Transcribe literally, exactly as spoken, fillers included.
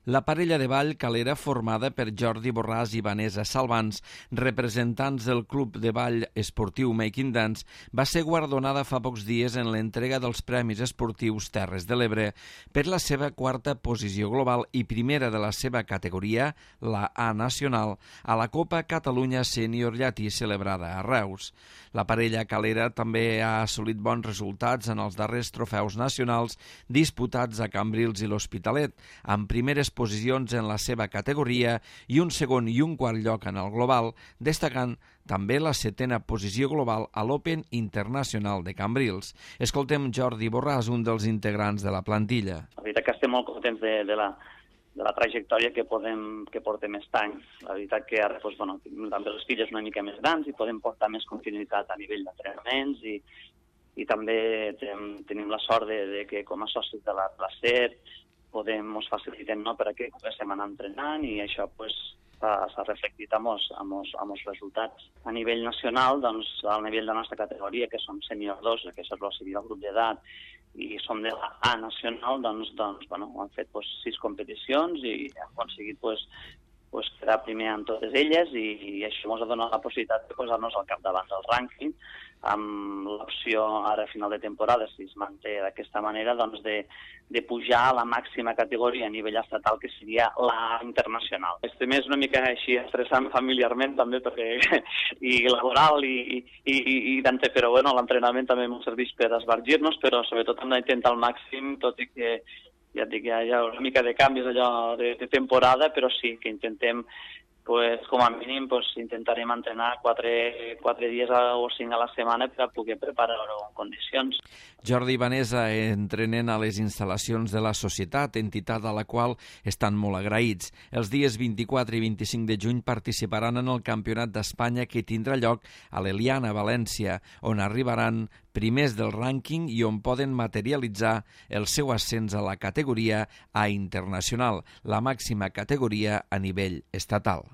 La parella de ball calera formada per Jordi Borràs i Vanessa Salvans, representants del Club de Ball Esportiu Making Dance, va ser guardonada fa pocs dies en l'entrega dels Premis Esportius Terres de l'Ebre per la seva quarta posició global i primera de la seva categoria, la A nacional, a la Copa Catalunya Sènior Llatí celebrada a Reus. La parella calera també ha assolit bons resultats en els darrers trofeus nacionals disputats a Cambrils i l'Hospitalet, amb primeres posicions en la seva categoria i un segon i un quart lloc en el global, destacant també la setena posició global a l'Open Internacional de Cambrils. Escoltem Jordi Borràs, un dels integrants de la plantilla. La veritat que estem molt contents de, de, la, de la trajectòria que, podem, que portem aquest any. La veritat que ara doncs, bueno, també les filles una mica més grans i podem portar més continuïtat a nivell d'entrenaments i, i també tenim, tenim la sort de, de que com a socis de la Placer podem, ens facilitem, no, per a que comencem a anar entrenant i això pues, s'ha reflectit amb els, amb, els, amb els resultats. A nivell nacional, doncs, al nivell de la nostra categoria, que som sènior dos, que és el grup d'edat, i som de la A nacional, doncs, doncs bueno, hem fet pues, sis competicions i hem aconseguit pues, pues, quedar primer en totes elles i, i això ens ha donat la possibilitat de posar-nos al capdavant del rànquing, amb l'opció ara a final de temporada, si es manté d'aquesta manera, doncs de, de pujar a la màxima categoria a nivell estatal, que seria la internacional. Este mes una mica així estressant familiarment també, perquè i laboral i, i, i, i d'ante, però bueno, l'entrenament també ens serveix per esbargir-nos, però sobretot hem d'intentar al màxim, tot i que ja et dic, hi ha una mica de canvis allò de, de temporada, però sí que intentem pues, com a mínim pues, intentarem entrenar quatre, quatre dies o cinc a la setmana per a poder preparar-ho en condicions. Jordi i Vanessa entrenen a les instal·lacions de la societat, entitat a la qual estan molt agraïts. Els dies vint-i-quatre i vint-i-cinc de juny participaran en el Campionat d'Espanya que tindrà lloc a l'Eliana, València, on arribaran primers del rànquing i on poden materialitzar el seu ascens a la categoria A internacional, la màxima categoria a nivell estatal.